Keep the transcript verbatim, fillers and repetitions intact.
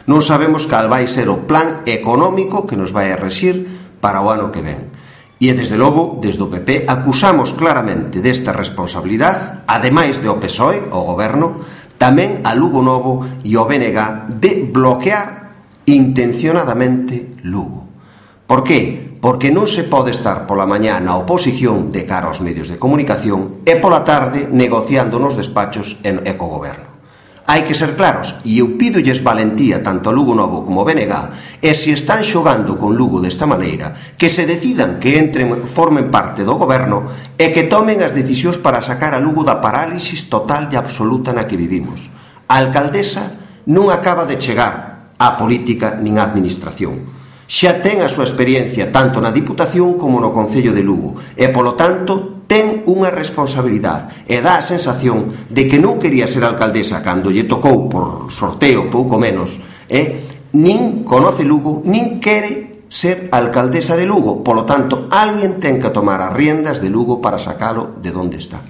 Non sabemos cal vai ser o plan económico que nos vai a rexir para o ano que ven. E, desde logo, desde o P P, acusamos claramente desta responsabilidade, ademais de o P S O E, o Goberno, tamén a Lugo Novo e o B N G de bloquear intencionadamente Lugo. Por que? Porque non se pode estar pola mañá na oposición de cara aos medios de comunicación e pola tarde negociando nos despachos e co Goberno. Hai que ser claros, e eu pídolles valentía tanto a Lugo Novo como a B N G, e se están xogando con Lugo desta maneira, que se decidan que entren, formen parte do Goberno e que tomen as decisións para sacar a Lugo da parálisis total e absoluta na que vivimos. A alcaldesa non acaba de chegar á política nin á administración. Xa ten a súa experiencia tanto na Diputación como no Concello de Lugo e, polo tanto, ten unha responsabilidade e dá a sensación de que non quería ser alcaldesa cando lle tocou por sorteo pouco menos, e nin conoce Lugo, nin quere ser alcaldesa de Lugo. Polo tanto, alguén ten que tomar as riendas de Lugo para sacalo de onde está.